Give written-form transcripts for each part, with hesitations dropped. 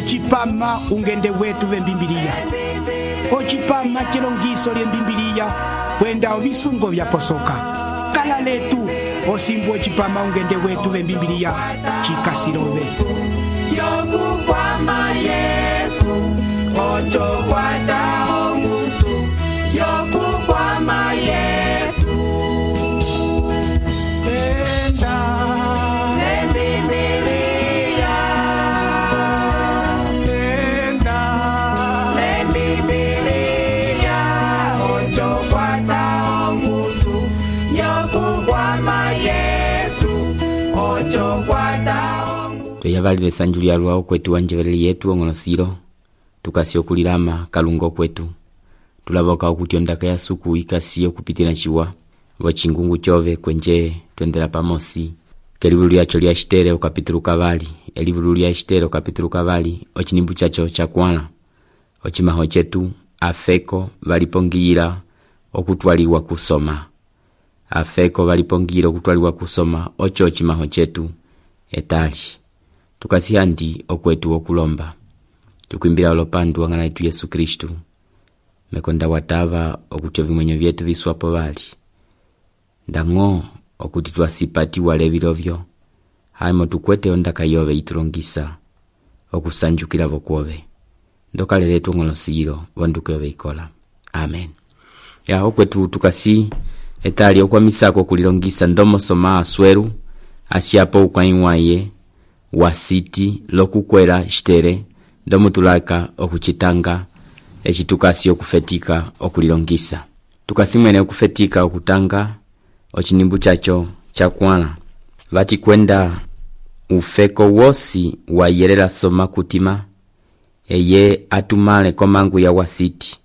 ocipama ungende wetu vembimbiliya, ocipama cilongiso lyembimbiliya kwenda ovisungo vyaposoka. Kala letu osimbu ocipama ungende wetu vembimbiliya cikasilove. Yokukwama Yesu, ocho kwata ongusu. Yokukwama Yesu, Enda Lembibilia, enda Lembibilia, ocho kwata ongusu. Yokukwama Yesu, ocho kwata ongusu. Tweyavalile sanju lya lwao kwetu wanjeveleli yetu ong'onosilo tukasyokulilama kalungo kwetu tulavoka okuti ondaka ya suku ikasi okupitila chiwa vochingungu chove kwenje twendela pamosi kelivulu lyacho lya Estere okapitulu kavali elivulu lya Estere okapitulu kavali ochinimbu chacho chakwala ochimaho chetu afeko valipongiyila okutwaliwa kusoma afeko valipongiyila okutwaliwa kusoma ocho ochimaho chetu etali tukasihandi okwetu okulomba tukwimbila olopandu wang'ana yetu Yesu Kristu mekonda watava okuti ovimwenyo vyetu viswapo vali ndang'o okuti twasipati walevilovyo haimo tukwete ondaka yove itulongisa okusanjukila vokwove ndokale letu ng'olosilo vonduke yove ikola amen ya okwetu tukasi etali okwamisako kulilongisa ndomo soma asweru asiapo ukwaiwaye wasiti lokukwela Estere ndomo tulaka okuchitanga echitukasi okufetika okulilongisa tukasimwene okufetika okutanga ochinimbu chacho chakwala vati kwenda ufeko wosi wayelela soma kutima eye atumale komangu ya wasiti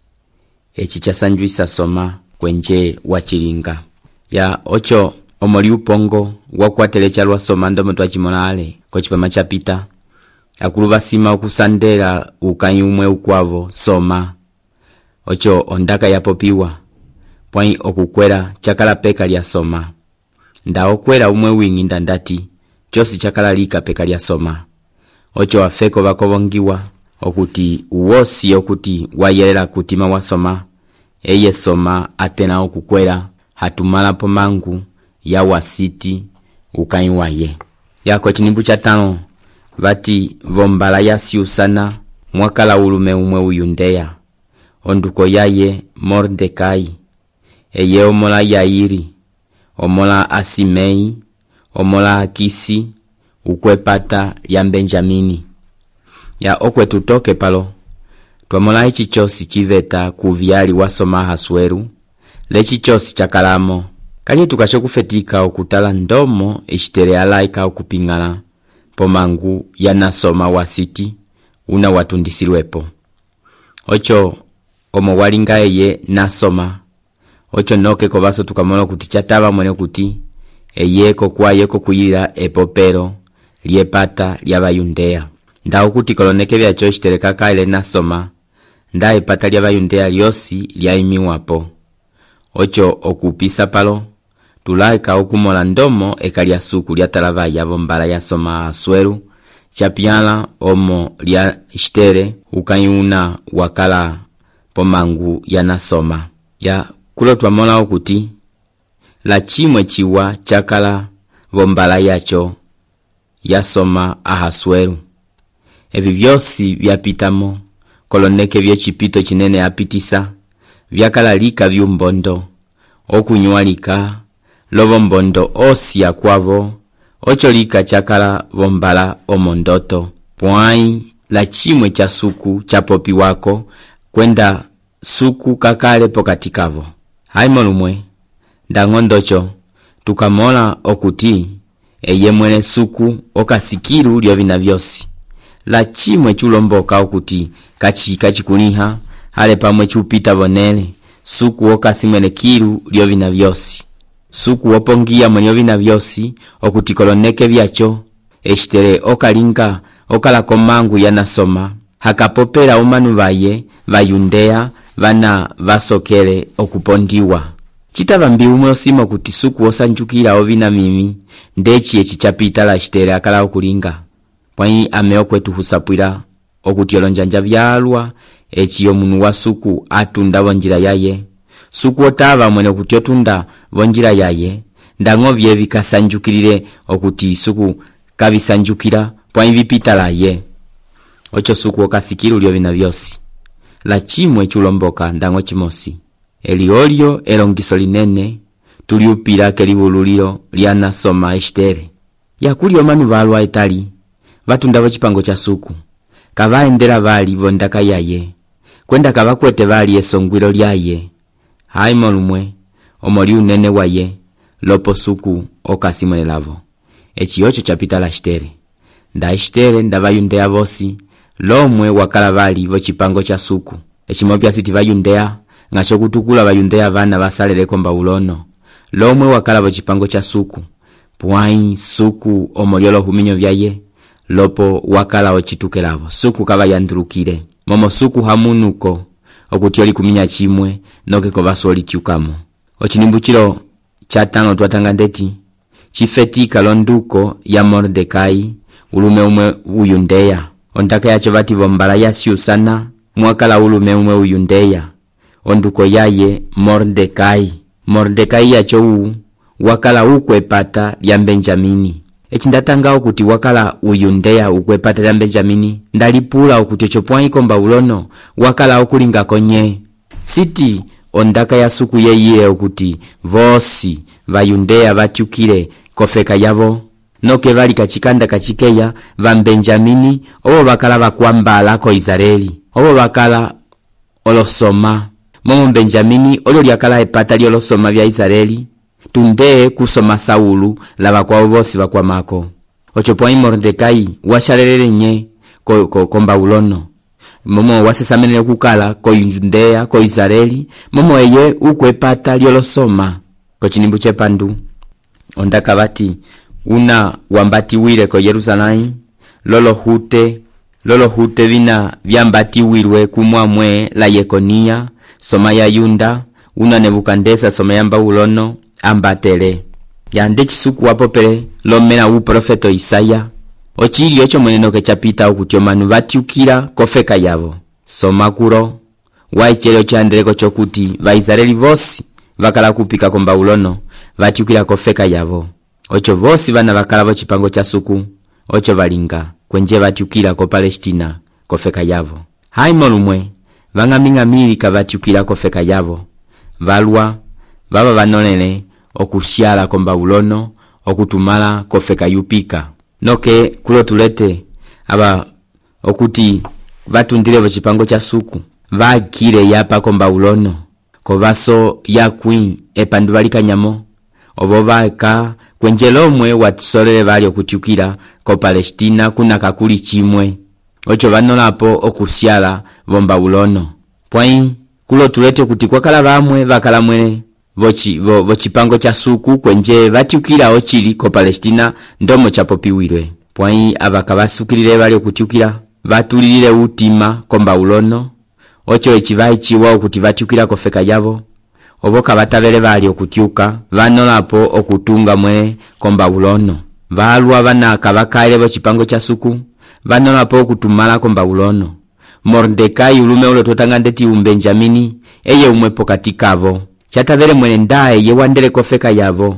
echi chasanjuisa soma kwenje wachilinga ya ocho omoli upongo wakwatele chalwa soma ndomo twachimona ale kochipama chapita akuluva sima okusandela ukanyi umwe ukwavo soma ocho ondaka yapopiwa pwai okukwela chakala peka lya soma nda okwela umwe wingi ndandati chosi chakala lika peka lya soma ocho afeko vakovongiwa okuti uwosi okuti wayelela kutima wa soma eye soma atena okukwela hatumala pomangu ya wasiti ukanyi waye yako chinimbu chatano vati vombala yasiusana mwakala ulume umwe uyundeya onduko yaye Mordekai eye omola Yairi omola Asimei omola Akisi ukwepata ya Benjamini ya okwetu toke palo twamola ichi chosi chiveta kuvyali wasoma hasweru lechi chosi chakalamo kali tukashokufetika okutala ndomo Estere alaika okupingala pomangu yanasoma wasiti una watundisilwepo ocho omo walinga eye nasoma ocho noke kovaso tukamola kuti chatava mwene kuti eyeko kwayeko kuyila epopero lyepata lya Bayundeya ndawo kuti koloneke vyacho Estere kakaile nasoma nda epata lya Bayundeya lyosi lyaimiwapo ocho okupisa palo tulaika okumola ndomo ekalya suku lya talava yavo mbala ya soma asweru chapiala omo lya Estere ukayuna wakala pomangu yanasoma ya kulo twamola okuti la chimwe chiwa chakala vombala yacho yasoma ahasweru evi vyosi vyapitamo koloneke vyechipito chinene apitisa vyakala lika vyumbondo okunyualika lovo mbondo osi ya kwavo ocho lika chakala vombala omondoto pwai la chimwe cha suku chapopi wako kwenda suku kakale pokati kavo haimo lumwe ndangondocho tukamola okuti eye mwene suku okasikiru lyovina vyosi la chimwe chulomboka okuti kachikuliha hale pamwe chupita vonele suku okasimwene kiru lyovina vyosi suku opongia mwenye ovina vyosi okuti koloneke vyacho Estere okalinga okala komangu yanasoma hakapopela umanu vaye Bayundeya vana vasokele okupondiwa chitava mbi umwe osima kuti suku osanjukila ovina mimi ndechi echi chapita la Estere akala okulinga pwai ame okwetu husapwila okuti olonjanja vyalwa eci omunu wa suku atunda vonjira yaye. Suku otava mwene okuti otunda vonjira yaye, ndango vyevi kasanjukilile okuti suku kavisanjukila pwa vipita laye. Ocho suku okasikila ulio vina vyosi. La chimwe chulomboka ndango chimosi. Eliolio elongiso linene tuliupila kelivululilo liana soma Estere. Yakuli omanu valwa etali vatunda vochipango cha suku, kavaendela vali vondaka yaye, kwenda kavakwete vali esongwilo lyaye. Haimo lumwe omoli unene waye lopo suku okasimwenelavo. Echi ocho chapita la Estere. Nda Estere nda vayundea vosi lomwe wakala vali vochipango cha suku. Echimopya siti vayundea ngasho kutukula vayundea vana vasalele komba ulono lomwe wakala vochipango cha suku. Pwai suku omoliolo huminyo vyaye lopo wakala ochitukelavo. Suku kava yandurukile momo suku hamunuko okuti oli kuminya chimwe noke kovaso oli tiukamo. Ochinimbuchilo chatano tuatanga ndeti chifetika londuko ya Mordekai ulume umwe uyundeya. Ondaka yacho vati vombala ya siusana mwakala ulume umwe uyundeya. Onduko yaye Mordekai. Mordekai yacho wakala ukwepata lya Benjamini. Echindatanga okuti wakala uyundeya ukwepata lya Benjamini ndalipula okuti chopwai komba ulono wakala okulinga konye. Siti ondaka ya suku yeye okuti vosi vayundeya vatiukile kofeka yavo. Noke vali kachikanda kachikeya va Benjamini obo bakala bakwambala ko Israeli. Obo bakala olosoma. Momo Benjamini olio lyakala epata lyolosoma vya Israeli. Tunde kusoma Saulu lava kwa vosi vakwamako. Ochopwai Mordekai washalelele nye komba ulono. Momo wasesamenele kukala ko Yudea ko Israeli. Momo eye ukwepata lyolosoma. Kochinimbu chepandu ondaka vati una wambati wile ko Yerusalai lolo hute vina vyambati wilwe kumwamwe la Yekonia soma ya Yunda una Nebukandesa soma yamba ulono ambatele yande chisuku wapopele lomena uprofeto Isaya. Ochili ocho mweneno kechapita okuti omanu vatiukila kofeka yavo. Soma kuro waichele ochandeleko chokuti va Israeli vosi vakala kupika komba ulono vatiukila kofeka yavo. Ocho vosi vana vakala vochipango cha suku ocho valinga kwenje vatiukila ko Palestina kofeka yavo. Haimo lumwe vang'aming'amili kavatiukila kofeka yavo. Valwa vava vanonele okusyala komba ulono okutumala kofeka yupika. Noke kulo tulete aba okuti vatundile vochipango cha suku vakile yapa komba ulono kovaso yakwi epandu valikanyamo ovo vaka kwenjelomwe watisolele vali okutiukila ko Palestina kuna kakuli chimwe ocho vanolapo okusyala vomba ulono. Pwai kulo tulete kuti kwakala vamwe vakala mwene vochipango cha suku kwenje vatiukila ochili ko Palestina ndomo chapopiwilwe. Pwai avaka vasukilile vali okutiukila vatulilile utima komba ulono ocho echivai chiwa okuti vatiukila kofeka yavo. Oboka batavele vali okutiuka vanolapo okutunga mwe komba ulono. Valwa vana kavakaile vochipango cha suku vanolapo okutumala komba ulono. Mordekai ulume ulo totanga ndeti Benjamini eye umwe pokati kavo. Chatavele mwene ndae ye wandele kofeka yavo.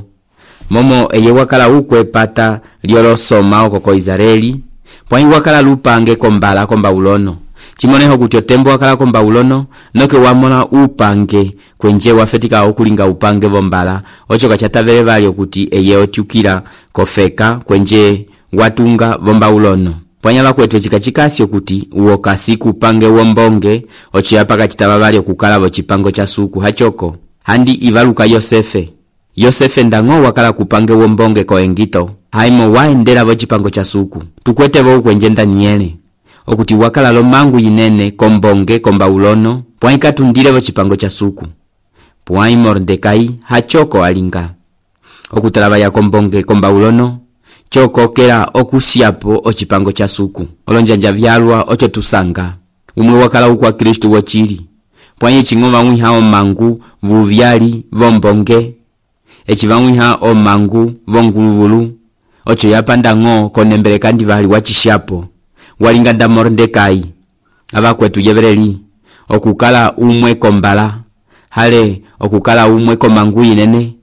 Momo eye wakala ukwepata lyolosoma okoko Israeli. Pwai wakala lupange kombala komba ulono. Chimoneho kutyo tembo wakala komba ulono noke wamona upange kwenje wafetika okulinga upange vombala ocho kachatavele vali okuti eye otiukila kofeka kwenje watunga vomba ulono. Pwanyala kwetwe chikachikasi okuti uokasi kupange wombonge ocho yapaka chitava vali okukala vochipango cha suku hachoko. Handi ivaluka Yosefe ndango wakala kupange wombonge ko Engito. Haimo waendela vochipango cha suku. Tukwete vo kwenje Daniele okuti wakala lomangu yinene kombonge komba ulono pwai katundile vochipango cha suku. Pwai Mordekai hachoko alinga okutalava ya kombonge komba ulono choko kela okusiapo ochipango cha suku. Olonjanja vyalwa ocho tusanga umwe wakala ukwa Kristu wochili. Pwai chingova mwiha omangu vuvyali vombonge echivamwiha omangu vonguluvulu ocho yapanda ngo konembele kandi vali wachishapo. Walinganda Mordekai abakwetu yebereli okukala umwe kombala hale okukala umwe komangu inene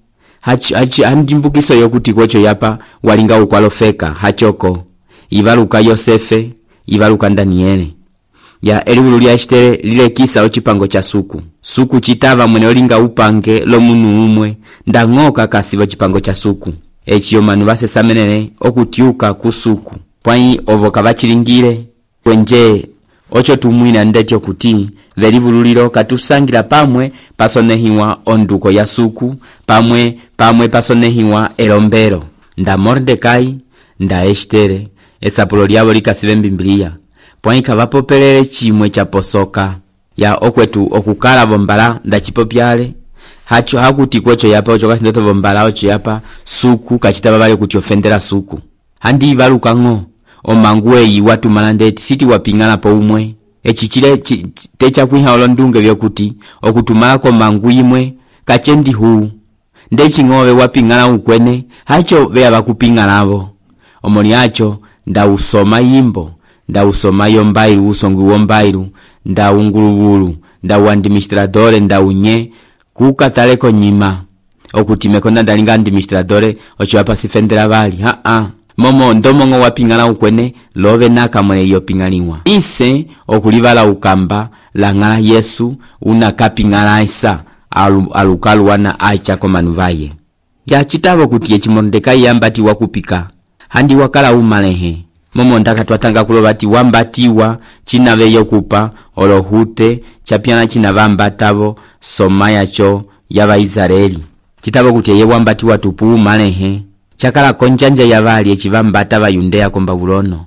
handimbukiso yokuti kwecho yapa walinga ukwalofeka hachoko ivaluka Yosefe ivaluka Daniele ya eliwulu lya Estere lilekisa ochipango cha suku chitava mwene olinga upange lomunu umwe ndang'oka kasiva chipango cha suku echiyo manu basesamenene okutiuka kusuku pwai ovoka bachilingire kwenje ocho tumwina ndetyo kuti velivululilo katusangira pamwe pasonehiwa onduko ya suku pamwe pasonehiwa elombero nda Mordekai nda Estere esapulo lyabo likasive mbimbiliya pwai kavapopelele chimwe cha posoka ya okwetu okukala bombala nda chipopyale hacho hakuti kwecho yapa ocho kasindoto bombala ocho yapa suku kachitaba bali kuti ofendera suku handi ivaluka ng'o omanguwe yiwatu malandeti siti wapingana po umwe echichile techa kwiha olondunge vyokuti okutumala ko mangu imwe kachendi huu ndechi ngowe wapingana ukwene hacho vea bakupingana avo omoni hacho nda usoma yimbo nda usoma yombairu usongu wombairu nda ungulugulu nda uadministradore nda unye kukataleko nyima okutimeko ndalinga administradore ocho hapa sifendera bali momo ndomongo wapingana ukwene love naka mwene yopingaliwa ise okulivala ukamba langala Yesu una kapingala isa alukalu wana aicha komanuvaye ya chitavo kuti echi Mordekai yambati wakupika handi wakala umalehe momo ndaka twatanga kulobati wambatiwa chinave yokupa olohute chapiana chinavambatavo soma yacho yava Israeli chitavo kuti ye wambatiwa tupu umalehe chakala konjanja yavali echivambata va Yudea ko Babulono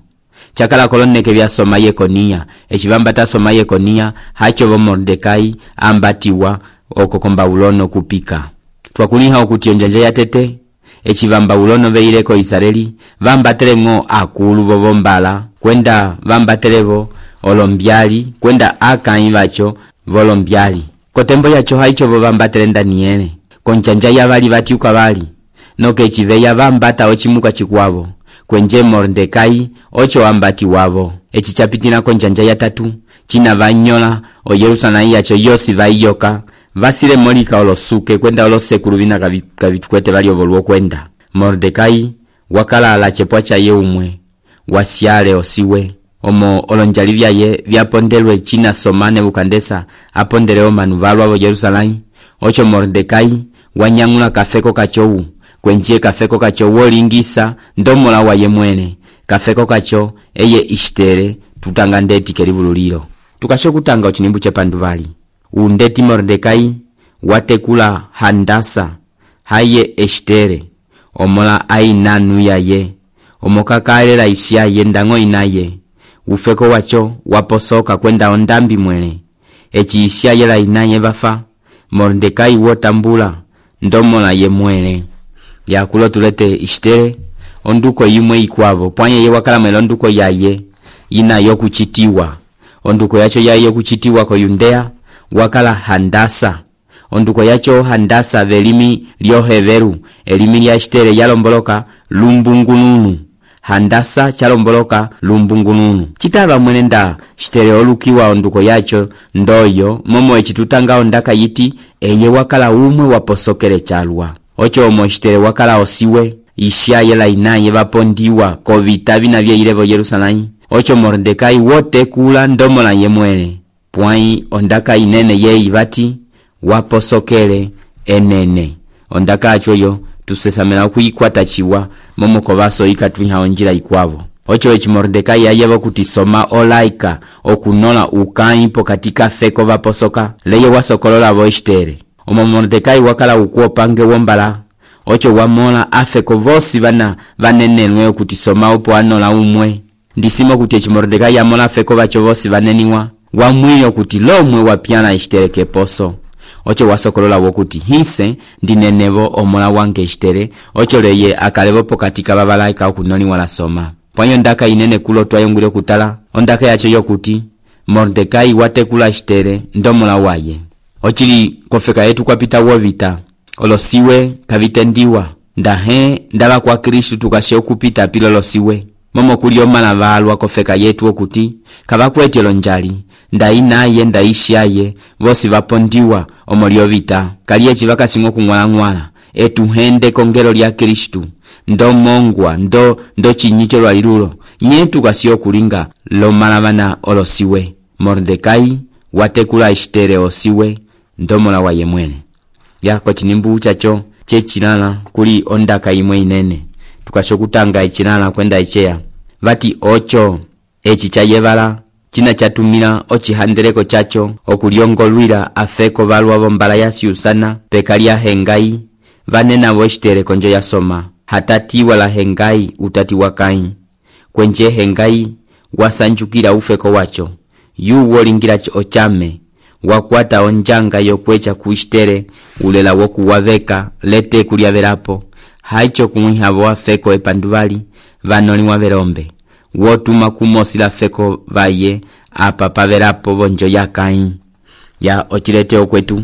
chakala koloneke vya soma Yekonia echivambata soma Yekonia hacho vo Mordekai ambatiwa oko ko Babulono kupika twakuliha okuti onjanja yatete echivamba Babulono veileko Israeli vambatele ng'o akulu vo vombala kwenda vambatelevo olombyali kwenda akai vacho volombyali kotembo yacho haicho vo vambatele Daniele konjanja yavali vatiuka vali noke chiveya vambata ochimuka chikwavo kwenje Mordekai ocho ambati wavo echi chapitina konjanja ya tatu china vanyola o Yerusalemu yacho yosi vaiyoka vasile molika olosuke kwenda olosekulu vina kavitukwete vali ovoluo kwenda Mordekai wakala ala chepwa cha ye umwe wasiale osiwe omo olonjali vyaye vyapondelwe china somane ukandesa apondele omanu valwa vo Yerusalemu ocho Mordekai wanyangula kafeko kachowu kwenje kafeko kacho wolingisa ndomola wa yemwene kafeko kacho eye Estere tutanga ndeti kelivululilo tukasho kutanga uchinimbu chepanduvali undeti Mordekai watekula Handasa haye Estere omola ainanu yaye omokakalela isya yendango inaye ufeko wacho waposoka kwenda ondambi mwene echi isya yela inaye bafa Mordekai wotambula ndomola yemwene yakulo tulete Estere onduko yimwe ikwavo pwanye ye wakala mwelo onduko yaye ina yokuchitiwa onduko yacho yaye yokuchitiwa ko Yudea wakala Handasa onduko yacho Handasa velimi lyoheveru elimi lya Estere yalomboloka lumbungununu Handasa chalomboloka lumbungununu chitava mwene nda Estere olukiwa onduko yacho ndoyo momo echitutanga ondaka yiti eye wakala umwe waposokele chalwa ocho omo Estere wakala osiwe isya yela inaye vapondiwa kovita vina vya ilevo Yerusalemu ocho Mordekai wote kula ndomola yemwene pwai ondaka inene ye ivati waposokele enene ondaka achoyo tusesamela kuikwata chiwa momo kovaso ikatwiha onjila ikwavo ocho echi Mordekai yayevo kutisoma olaika okunola ukaipo katika feko vaposoka leye wasokolola vo Estere omo Mordekai wakala ukuopange wombala ocho wamola afeko vosi vana vanenenwe kutisoma opo anola umwe ndisimo kuti echi Mordekai yamola afeko vacho vosi vaneniwa wamwilio kuti lomwe wapiana Estere keposo ocho wasokolola wokuti hise ndinenevo omola wange Estere ocho leye akalevo pokatika babalaika okunoni wala soma pwanyo ndaka inene kulo twayongule kutala ondaka yacho yokuti Mordekai watekula Estere ndomola waye ochili kofeka yetu kwapita wovita olosiwe kavitendiwa ndahe ndala kwa Kristu tukashe okupita pilolosiwe momo kuli omala valwa kofeka yetu okuti kavakwete lonjali ndayi naye ndayishaye vosi vapondiwa omolio vita kaliyechi vakasinga okung'walang'wala etuhende kongelo lya Kristu ndo mongwa ndo chinyicho lwalilulo nyetu kasio kulinga lomalavana olosiwe Mordekai watekula Estere osiwe ndomola wa yemwene yako chinimbu chacho chechilala kuli ondaka imwe inene tukashokutanga echilala kwenda echeya vati ocho echi chayevala china chatumila ochihandeleko chacho okuliongolwila afeko valwa vombala yasiusana pekalia Hengai vanena vo Estere konjo yasoma hatatiwa la Hengai utati wakai kwenje Hengai wasanjukila ufeko wacho yu wolingira ochame wakwata onjanga yokwecha ku Estere ulela wokuwaveka lete kulyavelapo haicho kumwihavo afeko epanduvali vanoliwa velombe wotuma kumosila feko vaye apa pavelapo vonjo yakai ya ochilete okwetu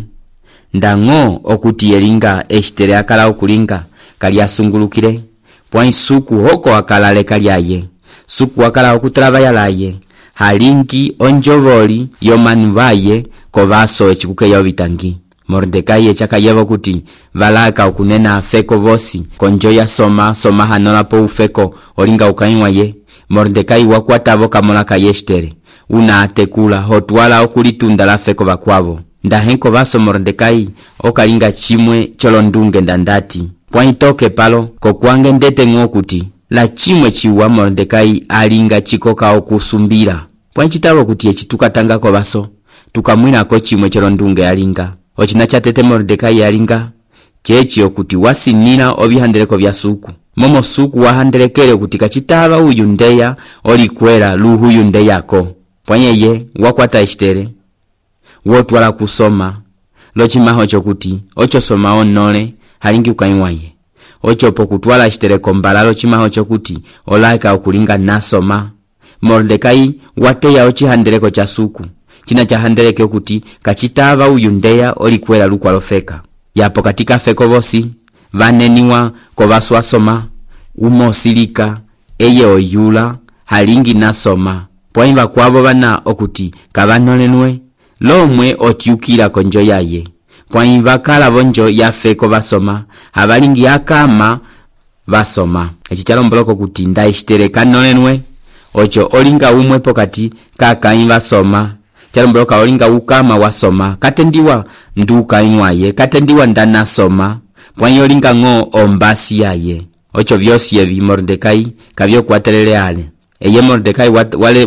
ndango okuti yelinga Estere akala okulinga kali asungulukile pwa isuku hoko akala leka lyaye suku akala okutrava laye halingi onjovoli yomanu vaye kovaso echikuke ya vitangi Mordekai echakayevo kuti valaka okunena afeko vosi konjo ya soma hanola po ufeko olinga ukainwa ye Mordekai wakwatavo kamolaka Estere una atekula hotwala okulitunda la feko vakwavo ndahenko vaso Mordekai okalinga chimwe cholondunge ndandati pwaitoke palo kokwange ndete ngokuti la chimwe chiwa Mordekai alinga chikoka okusumbira pwanchitavo kuti echitukatanga ko vaso tukamwinako chimwe cholondunge alinga ochina chatete Mordekai alinga chechi okuti wasinila ovihandeleko vya suku momo suku wahandelekele kuti kachitava uyu ndeya olikwela luhu yundeyako pwanyeye wakwata Estere wotwala kusoma lochimaho chokuti ocho soma onole halingi ukainwaye ocho pokutwala Estere kombala lochimaho chokuti olaika okulinga nasoma Mordekai wateya ochihandeleko cha suku china chahandeleke okuti kachitava uyu ndeya olikwela lukwalofeka yapo katika feko vosi vaneniwa kovaswa soma umosilika eye oyula halingi nasoma pwaimba kwavo vana okuti kavanolenwe lomwe otiukila konjo yaye pwaimba kala vonjo ya feko vasoma havalingi akama vasoma echichalomboloka kuti nda Estere kanolenwe ocho olinga umwe pokati kakaimba soma chalomboloka olinga ukama wasoma katendiwa nduka inwaye katendiwa ndana soma pwanyo olinga ngo ombasi yaye ocho vyosi evi Mordekai kavyo kwatelele ale eye Mordekai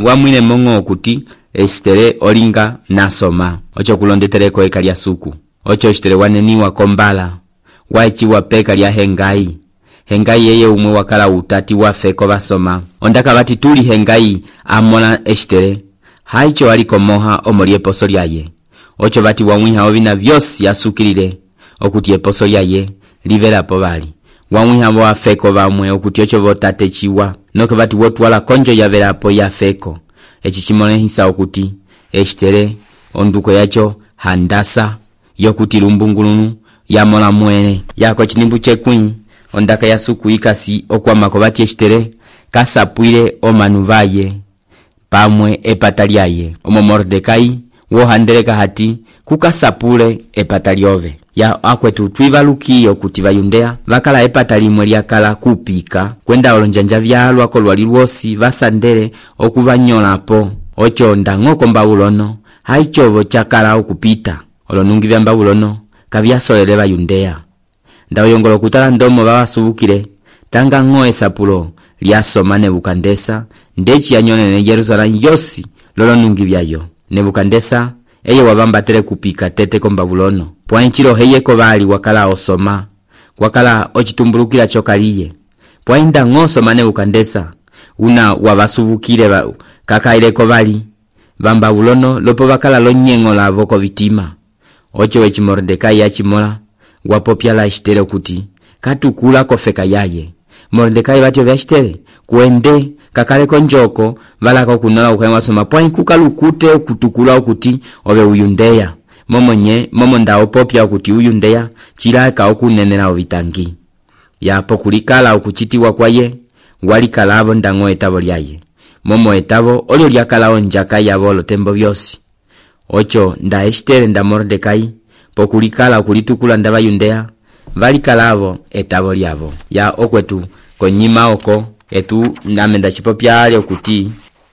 wamwine mongo kuti Estere olinga nasoma ocho kulondetereko ekalia suku ocho Estere waneniwa kombala waichiwa peka lya Hengai yeye umwe wakala utati wafeko vasoma ondaka vati tuli Hengai amola Estere haicho aliko moha omoli eposo lyaye ocho vati wamwiha ovina vyosi yasukilile okuti eposo lyaye livelapo vali wamwiha vo afeko vamwe okuti ocho votate chiwa noke vati wotwala konjo yavelapo ya feko echi chimolehisa okuti Estere onduko yacho handasa yokuti lumbungulunu yamola mwene yako chinimbu chekwi ondaka ya suku ikasi okwamako vati Estere kasapwile omanu vaye pamwe epata lyaye omo Mordekai wohandeleka hati kukasapule epata lyove ya akwetu twivalukiyo kuti vayundea vakala epata limwe lyakala kupika kwenda olonjanja vyalwako lwali lwosi vasandele okuvanyolapo ocho ndang'oko Mbabulono haichovo chakala okupita olonungi vya Mbabulono kavyasolele vayundea ndaoyongolo okutala ndomo vavasuvukile tanga ng'o esapulo lyasoma Nebukandesa ndechi yanyonene Yerusalemu yosi lolonungi vyayo Nebukandesa eye wavambatele kupika tete ko Mbabulono pwanchilo heyeko vali wakala osoma wakala ochitumbulukila chokaliye pwainda ng'osoma Nebukandesa una wavasuvukile kakaileko vali va Mbabulono lopo vakala lonyengo lavo ko vitima ocho wechi Mordekai yachimola wapopya la Estere kuti katukula kofeka yaye Mordekai vatyo vya Estere kuende kakaleko njoko valaka kunola ukaiwa soma pwain kukalukute ukutukula ukuti ove uyundeya momo nda opopya ukuti uyundeya chilaka okunenela ovitangi yapo kulikala ukuchitiwa kwaye walikalavo ndango etavo lyaye, momo etavo olio lyakalawo njaka yavo lotembo vyosi. Ocho nda Estere nda Mordekai pokulikala okulitukula nda Bayudea valikalavo etavo lyavo. Ya okwetu konyima oko etu namenda chipopya ali okuti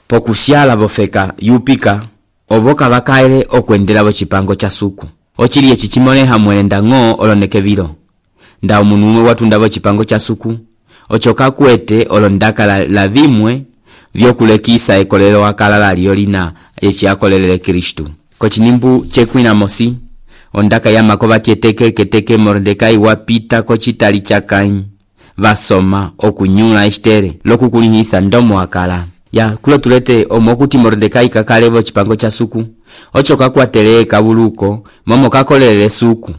pokusyala vofeka yupika ovoka vakaele okwendelavo chipango cha suku. Ochili echi chimoneha mwene ndango oloneke vilo. Nda omunu umwe watundavo chipango cha suku. Ocho kakuete olondaka la vimwe vyokulekisa ekolelo wakalala liolina echi akolelele Kristu. Kochinimbu chekwina mosi ondaka ya makova tieteke keteke Mordekai wapita kochitali cha Kain vasoma okunyula Estere lokukulihisa ndomo wakala. Ya kulo tulete omokuti Mordekai kakalevo chipango cha suku. Ocho kakwatele kabuluko momo kakolelele suku.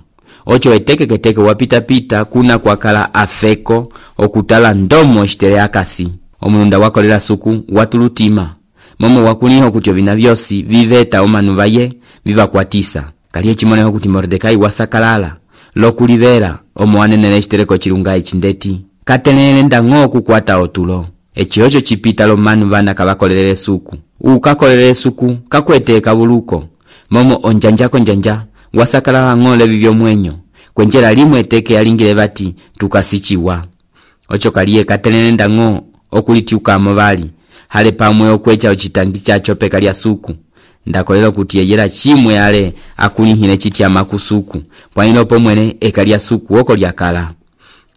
Ocho eteke keteke wapita pita kuna kwakala afeko okutala ndomo Estere akasi. Omununda wakolela suku watulutima momo wakuliho kutyo vina vyosi viveta omanu vaye viva kwatisa. Kaliye chimoneho kuti Mordekai wasakalala lokulivera omoanenele Estere kochilunga echindeti katelele ndango kukwata otulo. Echiocho chipita lo manu vana kabakolelele suku. Ukakolelele suku kakwete kabuluko momo onjanjako njanja wasakalala ngole vivyo mwenyo kwenjela limwe teke alingile bati tukasichiwa. Ocho kaliye katelele ndango okulitiuka mobali hale pamwe okwecha ochitangi chacho peka lya suku. Ndakolelo kuti yeyela chimwe yale akulihine chitia makusuku pwaino pomwene ekalia suku oko lyakala.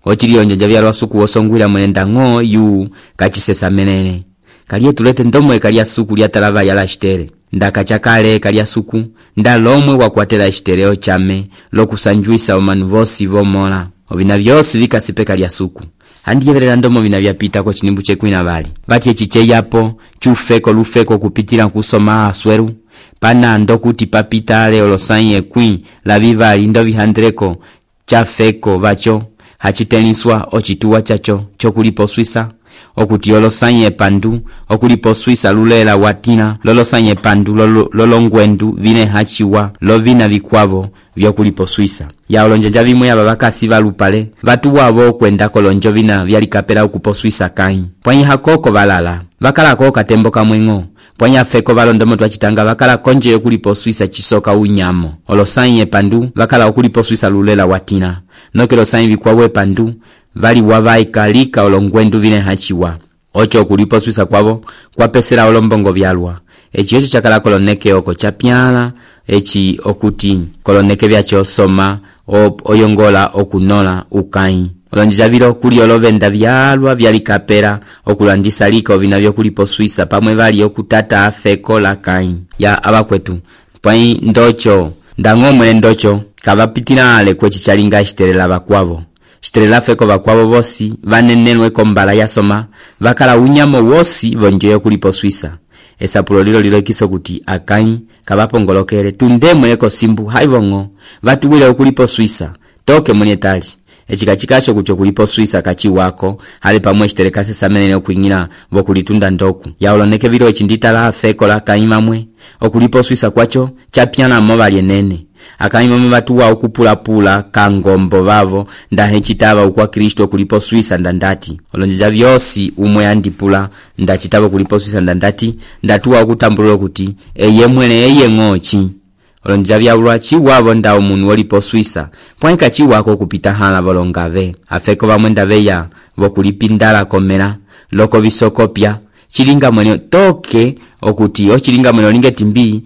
Ochili onjanja vyalwa suku wosongwila mwene ndango yu kachisesa menene. Kaliye tulete ndomo ekalia suku lyatalava yala Estere. Ndakachakale ekalia suku ndalomwe wakwatela Estere ochame lokusanjuisa omanu vosi vomola ovina vyosi vikasipeka lya suku. Handiyeverera ndomo vina vyapita ko chinimbu chekwina vali vati echiche yapo chufeko lufeko kupitila kusoma asweru pana ndokuti papita ale olosanye kwi la vivali ndo vihandreko chafeko vacho hachiteniswa ochituwa chacho chokulipo Swisa okuti olosanye pandu okulipo Swisa lulela watina lolosanye pandu lolongwendu vine hachiwa lovina vikwavo vyokulipo Swisa. Ya olonjanja vimwe ya babakasi valupale vatu wavo kwenda kolonjo vina vyalikapela ukupo Swisa Kain pwanyi hakoko valala vakala koka tembo kamwengo pwanyi afeko valondomo twachitanga vakala konje yokulipo Swisa chisoka unyamo olosanye pandu vakala okulipo Swisa lulela watina nokelo sanyi vikwawe pandu vali wavaikalika olongwendu vine hachiwa. Ocho kulipo Swisa kwavo kwapesela olombongo vyalwa. Echi yocho chakala koloneke oko chapyala echi okuti koloneke vyacho soma oyongola okunola ukai. Olonjija vilo kuli olovenda vyalwa vyalikapera okulandisa liko vina vyokulipo Swisa pamwe vali okutata afeko la Kain. Ya abakwetu pwai ndocho ndango mwene ndocho kavapitila ale kwechi chalinga Estere lava kwavo. Estere lafeko vakwavo vosi vanenenwe kombala yasoma vakala unyamo wosi vonjeyo kulipo Swisa. Esapulo lilo kiso kuti Akai kabapongolokele tundemwe eko simbu haivongo vatuwile okulipo Swisa toke mwenye tali. Echikachikasho kucho kulipo Swisa kachi wako hali pamwe Estere kasesa menene okuingina vokulitunda ndoku. Ya oloneke vilo echindita la afeko la kaimamwe okulipo Swisa kwacho chapyana mobali enene. Akaimame vatuwa okupula kangombo vavo ndahechitava ukwa Kristo kulipo Swisa ndandati. Olonjija vyosi umwe andipula ndachitava kulipo Swisa ndandati ndatuwa okutambulula kuti eye mwene eye ngochi. Olonjija vyalwa chiwavo nda omunu wolipo Swisa pwanika chiwako kupita hala volongave. Afeko vamwe ndaveya vokulipindala komera loko visokopya chilinga mwene toke okuti ochilinga mwene olinge timbi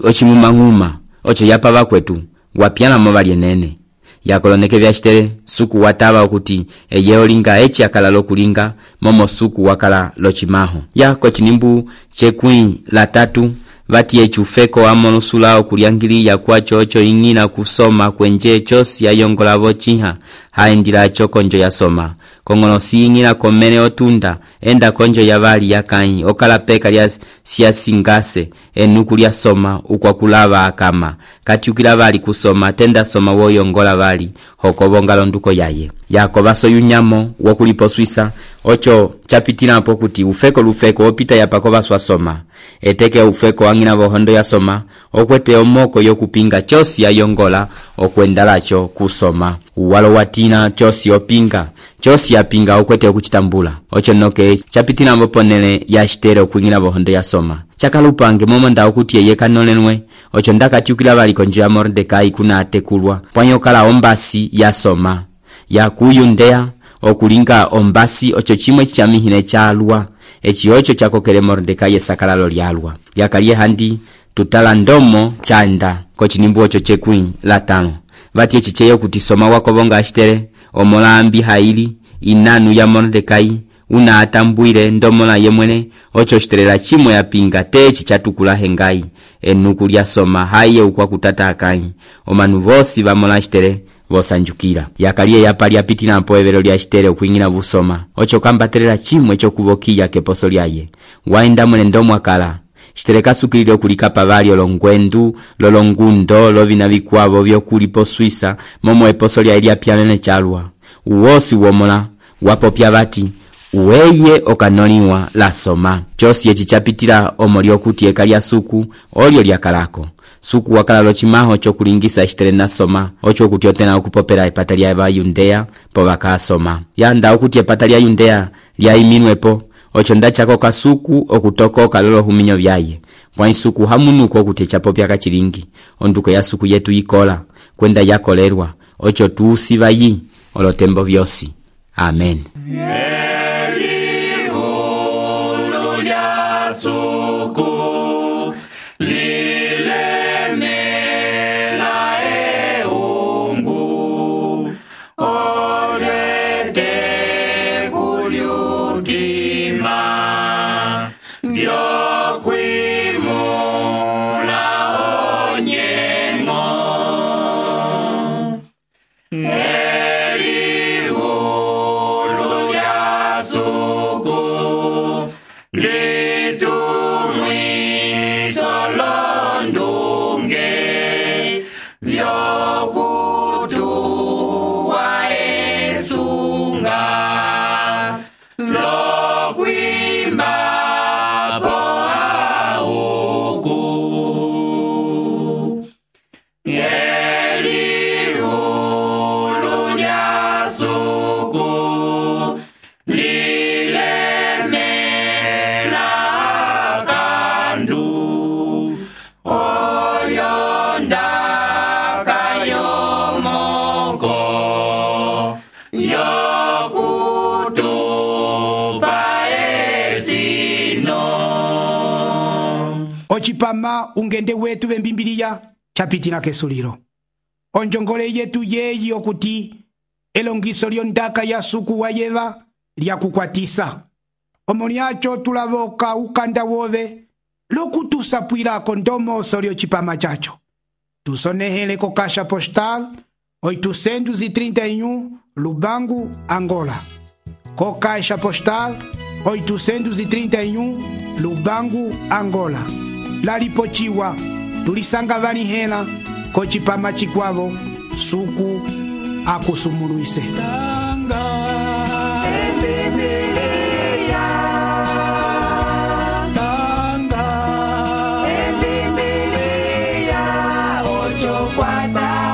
ochimumanguma. Ocho yapa vakwetu wapyana mobali enene. Yakoloneke vya Estere suku watava okuti eye olinga echi akala lokulinga momo suku wakala lochimaho. Ya kochinimbu chekwi la tatu vati echufeko amonusula okuliangili ya kwa chocho ingina kusoma kwenje chosi ya yongola vochiha haendila chokonjo ya soma. Kongono si ingina komene otunda enda konjo ya vali ya Kain okala peka lya siasingase enuku lya soma ukwa kulava akama kati ukila vali kusoma tenda soma wo yongola vali hokobonga londuko yaye. Yako vaso yunyamo wokulipo Swisa ocho chapitila hapo kuti ufeko lufeko opita yapako vaswa soma eteke ufeko angina vohondo ya soma okwete omoko yokupinga chosi ya yongola okwendalacho kusoma. Uwalo watina chosi opinga chosi yapinga ukwete okuchitambula ocho noke chapitila mboponele ya Estere okwingila bohondo ya soma chakalupange momo nda okuti eye kanolenwe ocho ndakatiukila baliko njo ya Mordekai kuna atekulwa pwanyokala ombasi ya soma ya kuyundea okulinga ombasi ocho chimwe chamihine chalwa echi ocho chakokele Mordekai esakalalo lyalwa yakalie handi tutala ndomo chanda kochinimbu ocho chekwi latano vati echicheyo kuti soma wakobonga Estere omolambi haili inanu ya Mordekai una atambwile ndomola yemwene ocho shiterela chimwe yapinga techi chatukula hengai enuku lya soma haiye ukwa kutata akai omanu vosi vamola Estere vosanjukira yakalie yapali yapitila mpoevelo lya Estere okwingila vusoma ocho kambaterela chimwe chokuvokiya keposo lyaye waenda mwene ndomwakala Estere kasukilile okulika pavali olongwendu lolongundo lovina vikwavo vyokulipo Swisa momo eposo lya Elia pyalene chalwa uwosi womola wapopya bati uweye okanoliwa la soma chosi echi chapitila omoli okuti eka lya suku olyo lyakalako suku wakala lochimaho chokulingisa Estere na soma ocho okuti otena okupopela epata lya Bayudea po bakasoma yanda okuti epata lya Yudea lyaiminwepo ocho ndachako kasuku okutokoka lolo huminyo vyaye pwa isuku hamunuko okuti chapopya kachilingi onduko ya suku yetu ikola kwenda yakolerwa ocho tuusiva yi olotembo vyosi amen. Ochipama ungende wetu vembimbiliya chapitila kesuliro onjongole yetu yeyi okuti elongiso lyondaka ya suku wa Yeva lyakukwatisa omolyacho tulavoka ukanda wove lokutusapwilako ndomoso lyochipama chacho tusonehele ko kasha postal 831 Lubangu, Angola. Ko kasha postal 831 Lubangu, Angola. Lalipochiwa tulisanga vani hela ko chipama chikwavo suku akusumuluise. Ocho cuarta